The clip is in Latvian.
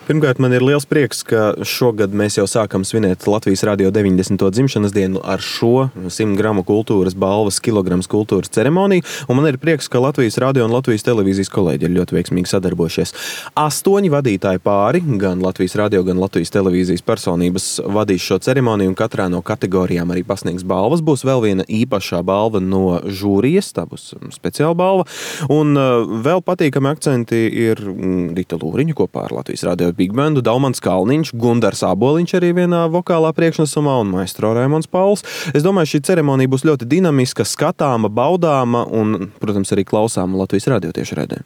Pirmkārt, man ir liels prieks, ka šogad mēs jau sākam svinēt Latvijas Radio 90. dzimšanas dienu ar šo 100 gramu kultūras balvas kilograms kultūras ceremoniju. Un man ir prieks, ka Latvijas Radio un Latvijas televīzijas kolēģi ir ļoti veiksmīgi sadarbojušies. 8 vadītāji pāri, gan Latvijas Radio, gan Latvijas televīzijas personības vadīs šo ceremoniju, un katrā no kategorijām arī pasniegs balvas. Būs vēl viena īpašā balva no žūrijas, tā būs speciāla balva. Un vēl patīkami akcenti ir Rita Lūriņa kopā ar Latvijas Radio Big Bandu, Daumans Kalniņš, Gundars Āboliņš arī vienā vokālā priekšnesumā un maestro Raimonds Pauls. Es domāju, šī ceremonija būs ļoti dinamiska, skatāma, baudāma un, protams, arī klausāma Latvijas Radio tiešraidē.